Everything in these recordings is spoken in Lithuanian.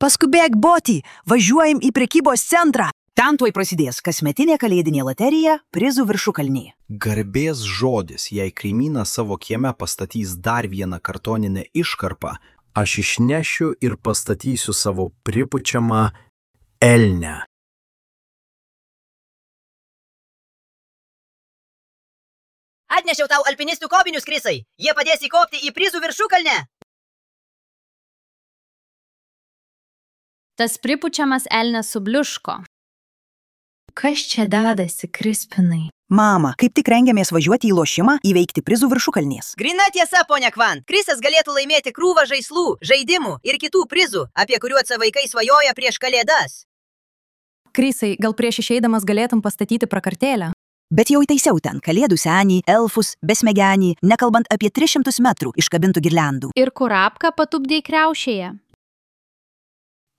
Paskubėk, Boti, važiuojam į prekybos centrą. Ten tuoj prasidės kasmetinė kalėdinė loterija prizų viršukalnė. Garbės žodis, jei kaimynas savo kieme pastatys dar vieną kartoninę iškarpą, aš išnešiu ir pastatysiu savo pripučiamą elnę. Atnešiau tau alpinistų kopinius, Krisai. Jie padės įkopti į prizų viršukalnę. Tas pripučiamas elnias subliuško. Kas čia dedasi, Krispinai? Mama, kaip tik rengiamės važiuoti į lošimą įveikti prizų viršukalnės. Grina tiesa, ponia Kvan. Krisas galėtų laimėti krūvą žaislų, žaidimų ir kitų prizų, apie kuriuos vaikai svajoja prieš kalėdas. Krisai, gal prieš išeidamas galėtum pastatyti prakartėlę? Bet jau įtaisiau ten kalėdų senį, elfus, besmegenį, nekalbant apie 300 metrų iškabintų girliandų. Ir kurapką patupdėjai kriaušėje.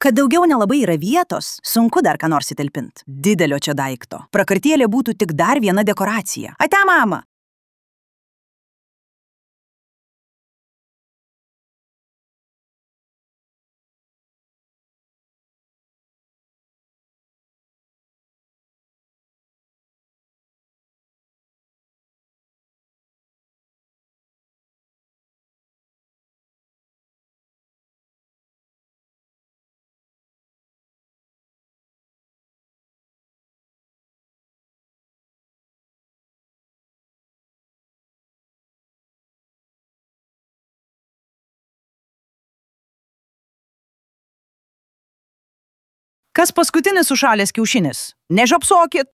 Kad daugiau nelabai yra vietos, sunku dar ką nors įtalpint. Didelio čia daikto. Prakartėlė būtų tik dar viena dekoracija. Ate, mama! Kas paskutinis sušalęs kiaušinis? Nežapsokit!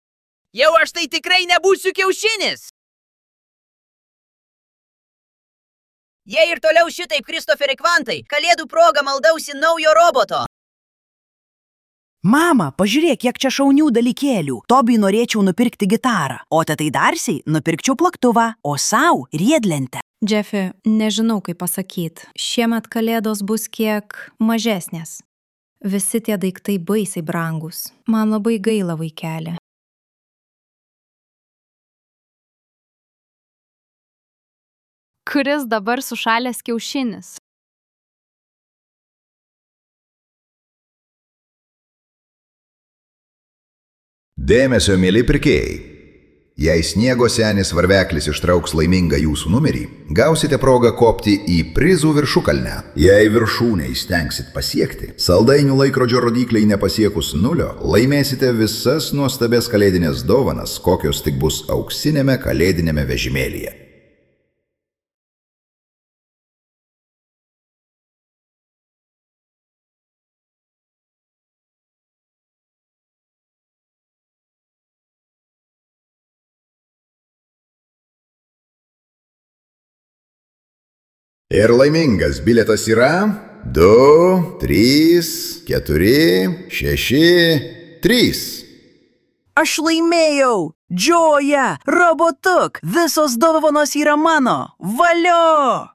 Jau aš tai tikrai nebūsiu kiaušinis! Jei ir toliau šitaip, Kristoferi Kvantai, kalėdų proga maldausi naujo roboto. Mama, pažiūrėk, kiek čia šaunių dalykėlių. Tobiui norėčiau nupirkti gitarą, o tetai Darsiai nupirkčiau plaktuvą, o sau riedlentę. Jeffi, nežinau, kaip pasakyt. Šiemet kalėdos bus kiek mažesnės. Visi tie daiktai baisiai brangus. Man labai gaila, vaikeli. Kuris dabar sušalęs kiaušinis? Dėmesio, mieli pirkėjai. Jei sniego senis varveklis ištrauks laimingą jūsų numerį, gausite progą kopti į prizų viršukalnę. Jei viršūnę įstengsit pasiekti, saldainių laikrodžio rodikliai nepasiekus 0, laimėsite visas nuostabės kalėdinės dovanas, kokios tik bus auksinėme kalėdinėme vežimėlyje. Ir laimingas bilietas yra 2, 3, 4, 6, 3. Aš laimėjau! Džoja! Robotuk! Visos dovanos yra mano! Valio!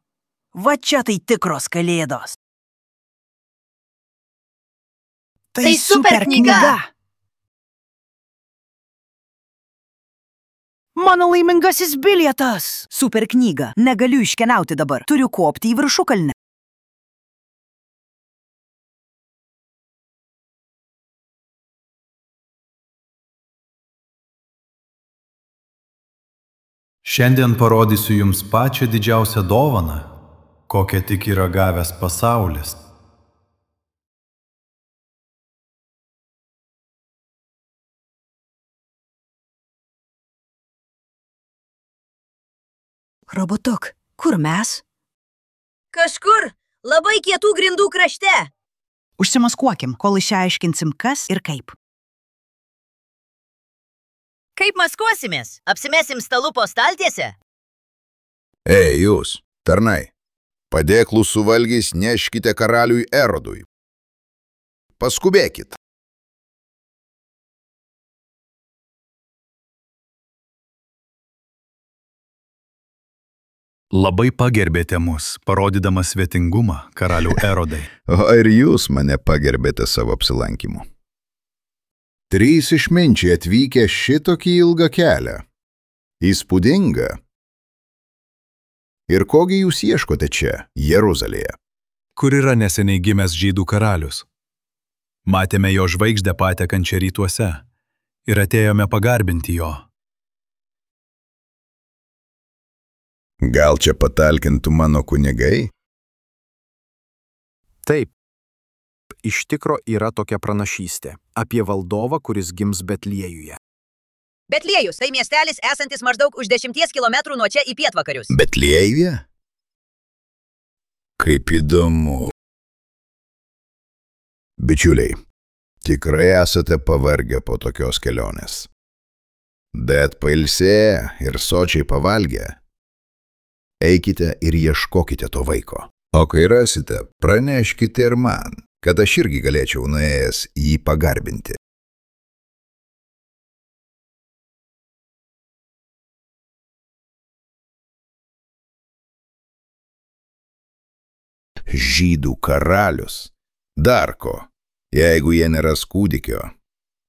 Va čia tai tikros kalėdos. Tai super knyga! Mano laimingasis bilietas! Super knyga. Negaliu iškeliauti dabar. Turiu kopti į viršukalnę. Šiandien parodysiu jums pačią didžiausią dovaną, kokią tik yra gavęs pasaulis. Robotuk, kur mes? Kažkur labai kietų grindų krašte. Užsimaskuokim, kol išsiaiškinsim, kas ir kaip. Kaip maskuosimės? Apsimesim stalu po staltiese? Ei, jūs, tarnai, padėklų suvalgys neškite karaliui Erodui. Paskubėkit. Labai pagerbėte mus, parodydamas svetingumą, karalių Erodai. O ir jūs mane pagerbėte savo apsilankimu. 3 išminčiai atvykę šitokį ilgą kelią. Įspūdinga. Ir kogi jūs ieškote čia, Jeruzalėje? Kur yra neseniai gimęs žydų karalius? Matėme jo žvaigždę patekančią rytuose ir atėjome pagarbinti jo. Gal čia patalkintų mano kunigai? Taip. Iš tikro yra tokia pranašystė apie valdovą, kuris gims Betliejuje. Betliejus tai miestelis esantis maždaug už 10 kilometrų nuo čia į pietvakarius. Betliejuje? Kaip įdomu. Bičiuliai, tikrai esate pavargę po tokios kelionės. Bet pailsėję ir sočiai pavalgę, eikite ir ieškokite to vaiko. O kai rasite, praneškite ir man, kad aš irgi galėčiau nuėjęs jį pagarbinti. Žydų karalius. Dar ko, jeigu jie neras kūdikio,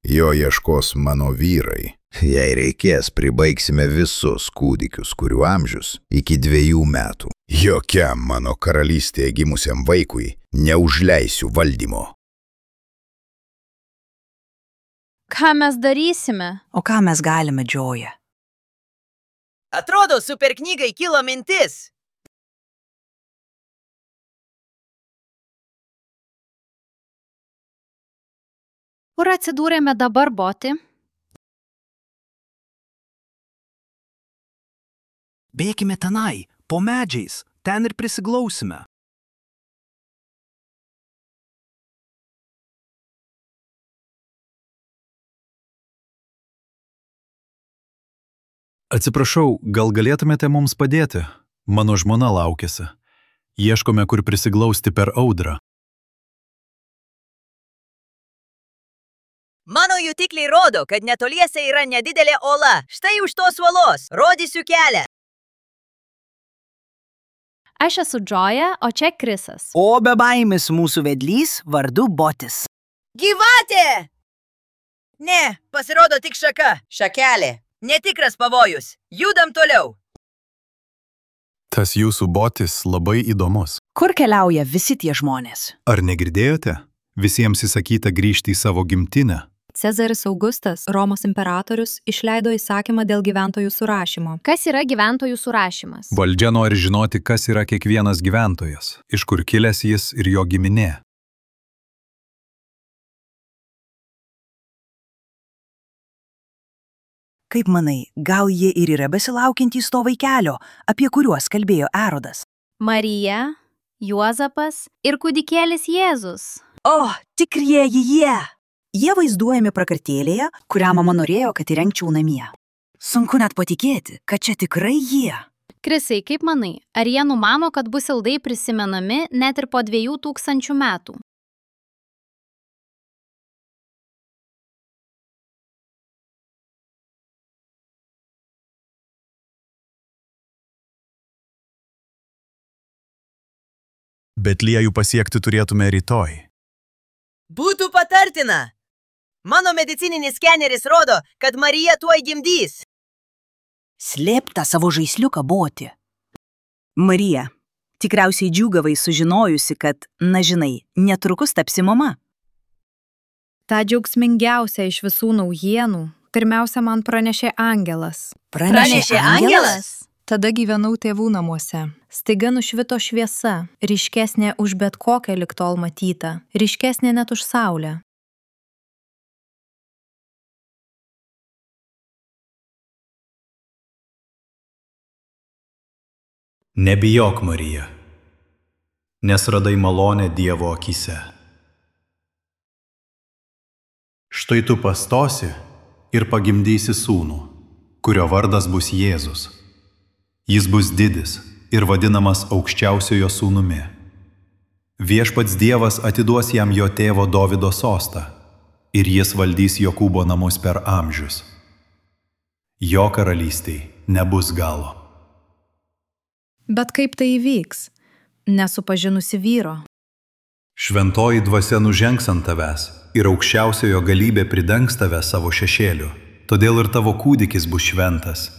jo ieškos mano vyrai. Jei reikės, pribaigsime visus kūdikius, kurių amžius iki 2 metų. Jokiam mano karalystėje gimusiam vaikui neužleisiu valdymo. Ką mes darysime? O ką mes galime, Džoja? Atrodo, super knygai kilo mintis. Kur atsidūrėme dabar, Boti? Bėkime tenai, po medžiais, ten ir prisiglausime. Atsiprašau, gal galėtumėte mums padėti? Mano žmona laukiasi. Ieškome, kur prisiglausti per audrą. Mano jutikliai rodo, kad netoliese yra nedidelė ola. Štai už tos uolos. Rodysiu kelią. Aš esu Džoja, o čia Krisas. O be baimės mūsų vedlys vardu Botis. Gyvatė! Ne, pasirodo tik šaka. Šakelė. Netikras pavojus. Judam toliau. Tas jūsų Botis labai įdomus. Kur keliauja visi tie žmonės? Ar negirdėjote? Visiems įsakyta grįžti į savo gimtinę. Cezaris Augustas, Romos imperatorius, išleido įsakymą dėl gyventojų surašymo. Kas yra gyventojų surašymas? Valdžia nori žinoti, kas yra kiekvienas gyventojas, iš kur kilęs jis ir jo giminė. Kaip manai, gal jie ir yra besilaukiantys to vaikelio, apie kuriuos kalbėjo Erodas? Marija, Juozapas ir kūdikėlis Jėzus. O, tikrieji jie! Jie vaizduojami prakartėlėje, kurią mama norėjo, kad įrengčiau namie. Sunku net patikėti, kad čia tikrai jie. Krisai, kaip manai, ar jie numano, kad bus ilgai prisimenami net ir po 2000 metų? Betliejų pasiekti turėtume rytoj. Būtų patartina. Mano medicininis skeneris rodo, kad Marija tuoj gimdys. Slėpk tą savo žaisliuką, Boti. Marija, tikriausiai džiūgavai sužinojusi, kad, na žinai, netrukus tapsi mama. Ta džiaugsmingiausia iš visų naujienų pirmiausia man pranešė angelas. Pranešė angelas? Tada gyvenau tėvų namuose. Staiga nušvito šviesa, ryškesnė už bet kokią lig tol matytą, ryškesnė net už saulę. Nebijok, Marija, nes radai malonę Dievo akyse. Štai tu pastosi ir pagimdysi sūnų, kurio vardas bus Jėzus. Jis bus didis ir vadinamas aukščiausiojo sūnumi. Viešpats Dievas atiduos jam jo tėvo Dovydo sostą ir jis valdys Jokūbo namus per amžius. Jo karalystei nebus galo. Bet kaip tai įvyks? Nesupažinusi vyro. Šventoji dvasia nužengs ant tavęs ir aukščiausiojo galybė pridengs tave savo šešėliu. Todėl ir tavo kūdikis bus šventas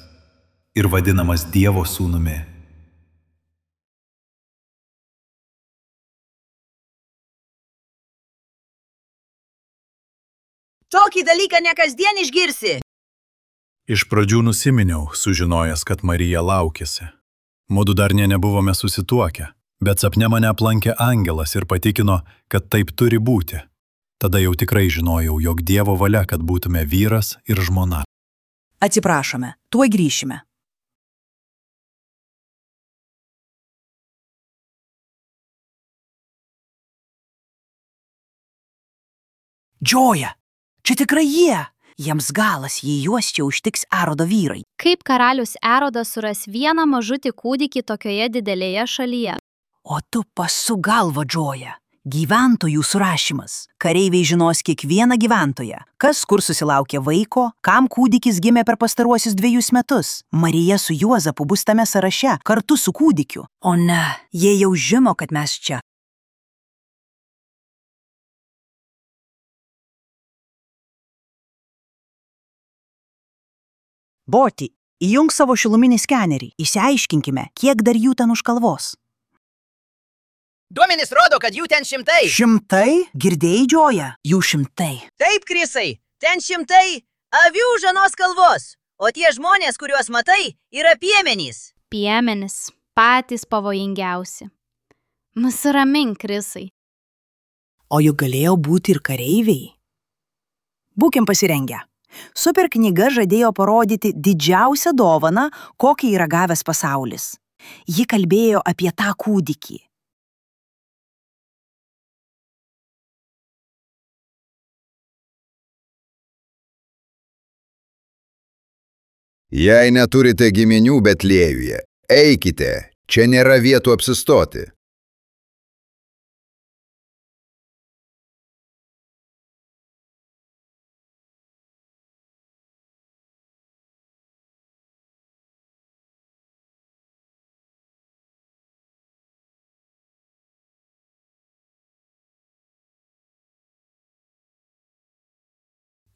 ir vadinamas Dievo sūnumi. Tokį dalyką ne kasdien išgirsi. Iš pradžių nusiminiau, sužinojęs, kad Marija laukėsi. Mudu dar nebuvome susituokę, bet sapne mane aplankė angelas ir patikino, kad taip turi būti. Tada jau tikrai žinojau, jog Dievo valia, kad būtume vyras ir žmona. Atsiprašome, tuoj grįšime. Džoja, čia tikrai jie. Jiems galas, jei juos čia užtiks Erodo vyrai. Kaip karalius Erodas suras vieną mažutį kūdikį tokioje didelėje šalyje? O tu pasuk galvą, Džoja. Gyventojų surašymas. Kareiviai žinos kiekvieną gyventoją. Kas kur susilaukė vaiko, kam kūdikis gimė per pastaruosius 2 metus. Marija su Juozapu bus tame sąraše, kartu su kūdikiu. O ne, jie jau žino, kad mes čia. Boti, įjunk savo šiluminį skenerį. Išsiaiškinkime, kiek dar jų ten už kalvos. Duomenys rodo, kad jų ten 100. 100? Girdėjai, Džoja? Jų 100. Taip, Krisai, ten 100 avių žanos kalvos. O tie žmonės, kuriuos matai, yra piemenys. Piemenys, patys pavojingiausi. Nusiramink, Krisai. O juk galėjo būti ir kareiviai. Būkim pasirengę. Super knyga žadėjo parodyti didžiausią dovaną, kokį yra gavęs pasaulis. Ji kalbėjo apie tą kūdikį. Jei neturite giminių Betliejuje, eikite, čia nėra vietų apsistoti.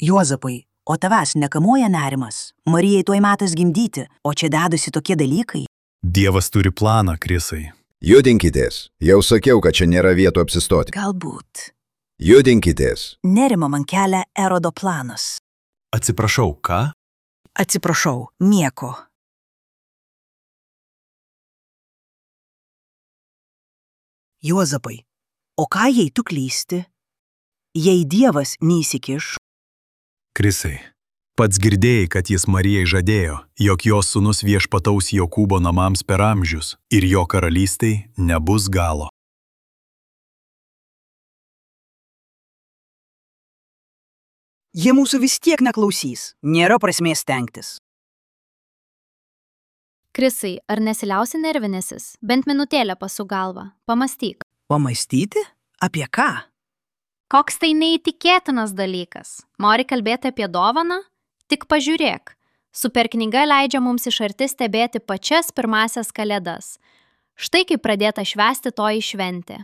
Juozapai, o tavęs nekamuoja nerimas. Marijai tuoj metas gimdyti, o čia dedasi tokie dalykai. Dievas turi planą, Krisai. Judinkitės, jau sakiau, kad čia nėra vietų apsistoti. Galbūt. Judinkitės. Nerimo man kelia Erodo planas. Atsiprašau, ką? Atsiprašau, nieko. Juozapai, o ką jei tu klysti? Jei Dievas neįsikiš? Krisai, pats girdėjai, kad jis Marijai žadėjo, jog jos sūnus viešpataus Jokūbo namams per amžius ir jo karalystei nebus galo. Jie mūsų vis tiek neklausys. Nėra prasmės stengtis. Krisai, ar nesiliausi nervinėsis? Bent minutėlę pasuk galvą. Pamąstyk. Pamąstyti? Apie ką? Koks tai neįtikėtinas dalykas. Nori kalbėti apie dovaną? Tik pažiūrėk. Super knyga leidžia mums iš arti stebėti pačias pirmasias kalėdas. Štai kaip pradėta švęsti toji šventė.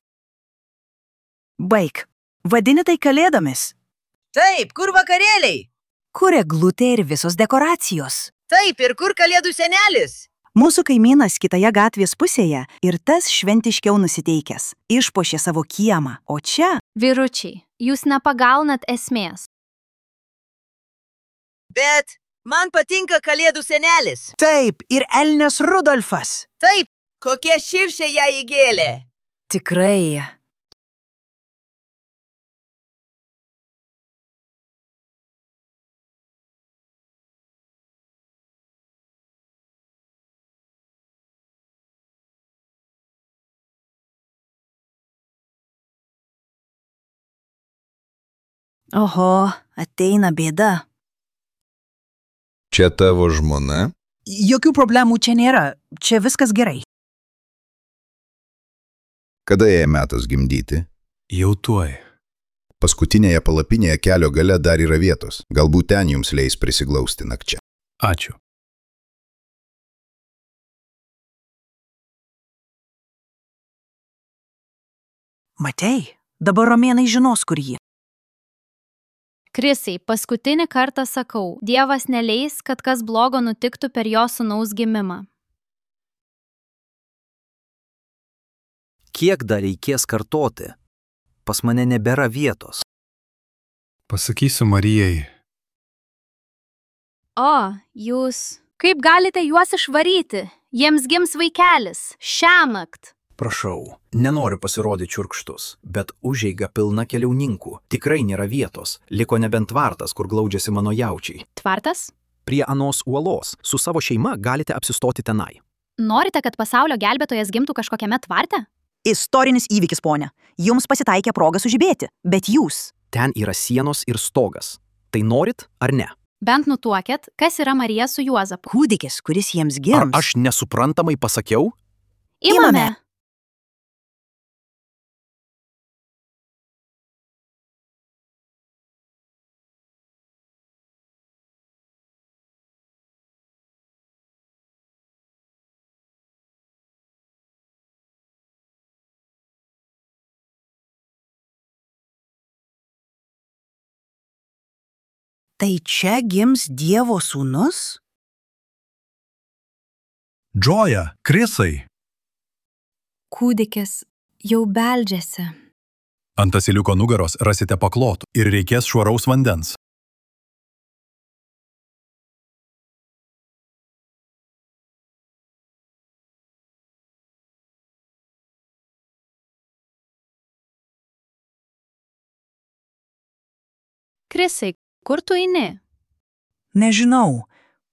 Baik, vadini tai kalėdomis? Taip, kur vakarėliai? Kur eglutė ir visos dekoracijos? Taip, ir kur kalėdų senelis? Mūsų kaimynas kitoje gatvės pusėje ir tas šventiškiau nusiteikęs. Išpuošė savo kiemą, o čia... Vyručiai, jūs nepagaunat esmės. Bet man patinka kalėdų senelis. Taip, ir elnias Rudolfas. Taip, kokie širšė ją įgėlė. Tikrai. Oho, ateina bėda. Čia tavo žmona? Jokių problemų čia nėra. Čia viskas gerai. Kada jai metas gimdyti? Jau tuoj. Paskutinėje palapinėje kelio gale dar yra vietos. Galbūt ten jums leis prisiglausti nakčia. Ačiū. Matei, dabar romėnai žinos, kur ji. Krisai, paskutinį kartą sakau, Dievas neleis, kad kas blogo nutiktų per jo sūnaus gimimą. Kiek dar reikės kartoti? Pas mane nebėra vietos. Pasakysiu Marijai. O, jūs. Kaip galite juos išvaryti? Jiems gims vaikelis. Šiąnakt. Prašau, nenoriu pasirodyti čiurkštus, bet užeiga pilna keliauninkų. Tikrai nėra vietos. Liko nebent tvartas, kur glaudžiasi mano jaučiai. Tvartas? Prie anos uolos. Su savo šeima galite apsistoti tenai. Norite, kad pasaulio gelbėtojas gimtų kažkokiame tvarte? Istorinis įvykis, ponia. Jums pasitaikė proga sužibėti, bet jūs. Ten yra sienos ir stogas. Tai norit ar ne? Bent nutuokėt, kas yra Marija su Juozapu. Kūdikis, kuris jiems Ar gims. aš nesuprantamai pasakiau? Imame. Tai čia gims Dievo sūnus? Džoja, Krisai. Kūdikis jau beldžiasi. Ant asiliuko nugaros rasite paklotų ir reikės švaraus vandens. Krisai, kur tu eini? Nežinau.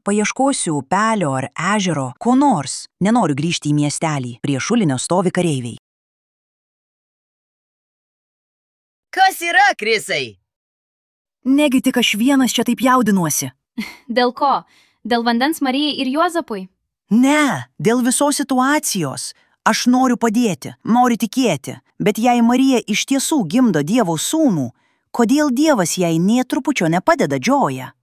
Paieškosiu upelio ar ežero, ko nors. Nenoriu grįžti į miestelį. Prie šulinio stovi kareiviai. Kas yra, Krisai? Negi tik aš vienas čia taip jaudinuosi. Dėl ko? Dėl vandens Marijai ir Juozapui? Ne, dėl visos situacijos. Aš noriu padėti, noriu tikėti. Bet jei Marija iš tiesų gimdo Dievo sūnų, kodėl Dievas jai nė trupučio nepadeda, Džoja?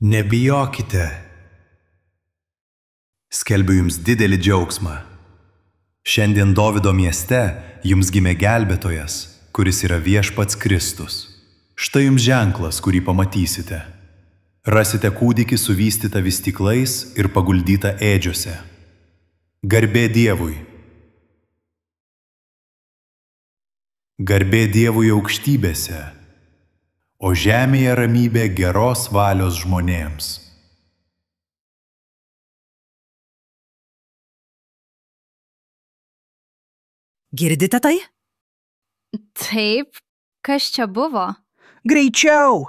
Nebijokite. Skelbiu jums didelį džiaugsmą. Šiandien Dovido mieste jums gimė gelbėtojas, kuris yra viešpats Kristus. Štai jums ženklas, kurį pamatysite. Rasite kūdikį suvystytą vystyklais ir paguldytą ėdžiuose. Garbė Dievui. Garbė Dievui aukštybėse, o žemėje ramybė geros valios žmonėms. Girdite tai? Taip, kas čia buvo? Greičiau!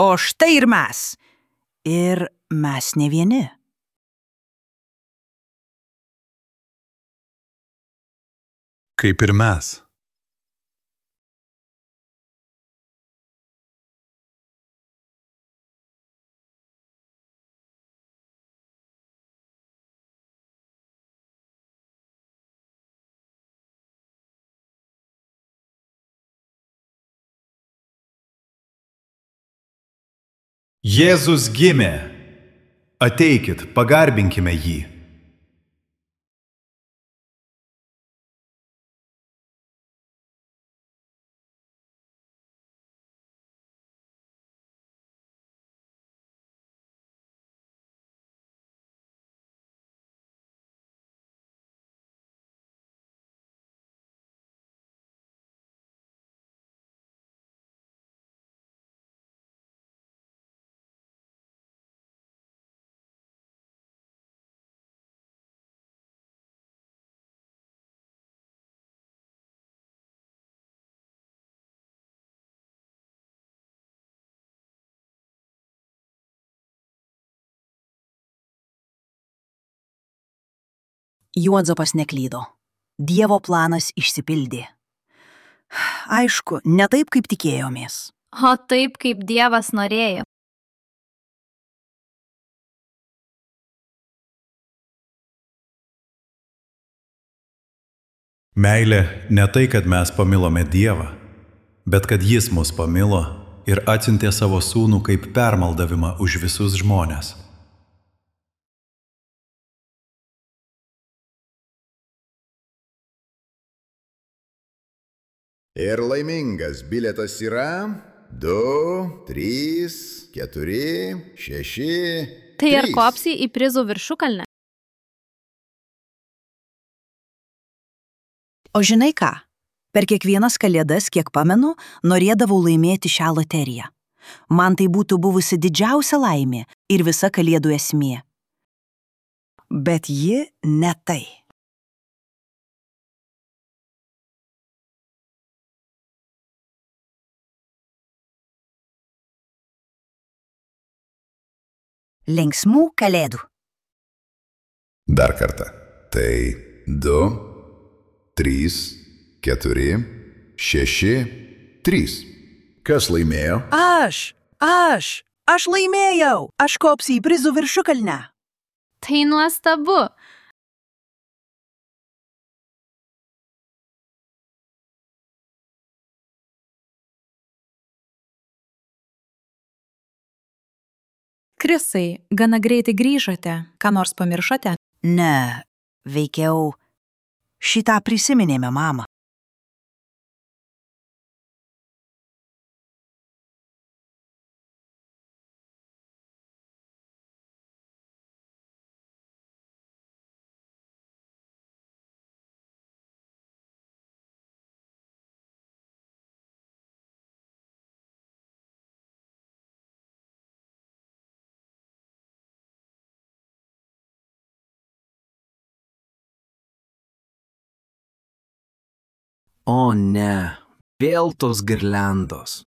O štai ir mes. Ir mes ne vieni. Kaip ir mes. Jėzus gimė. Ateikit, pagarbinkime jį. Juozapas neklydo. Dievo planas išsipildė. Aišku, ne taip, kaip tikėjomės. O taip, kaip Dievas norėjo. Meilė ne tai, kad mes pamilome Dievą, bet kad Jis mus pamilo ir atsiuntė savo sūnų kaip permaldavimą už visus žmones. Ir laimingas bilietas yra 2, 3, 4, 6. Tai ar 3. kopsi į prizų viršukalnę? O žinai ką? Per kiekvienas kalėdas, kiek pamenu, norėdavau laimėti šią loteriją. Man tai būtų buvusi didžiausia laimė ir visa kalėdų esmė. Bet ji ne tai. Linksmų kalėdų. Dar kartą. Tai 2, 3, 4, 6, 3. Kas laimėjo? Aš laimėjau. Aš kopsiu į prizų viršukalnę. Tai nuostabu. Krisai, gana greitai grįžote. Ką nors pamiršote? Ne, veikiau šitą prisiminėme, mama. O ne, vėl tos girliandos.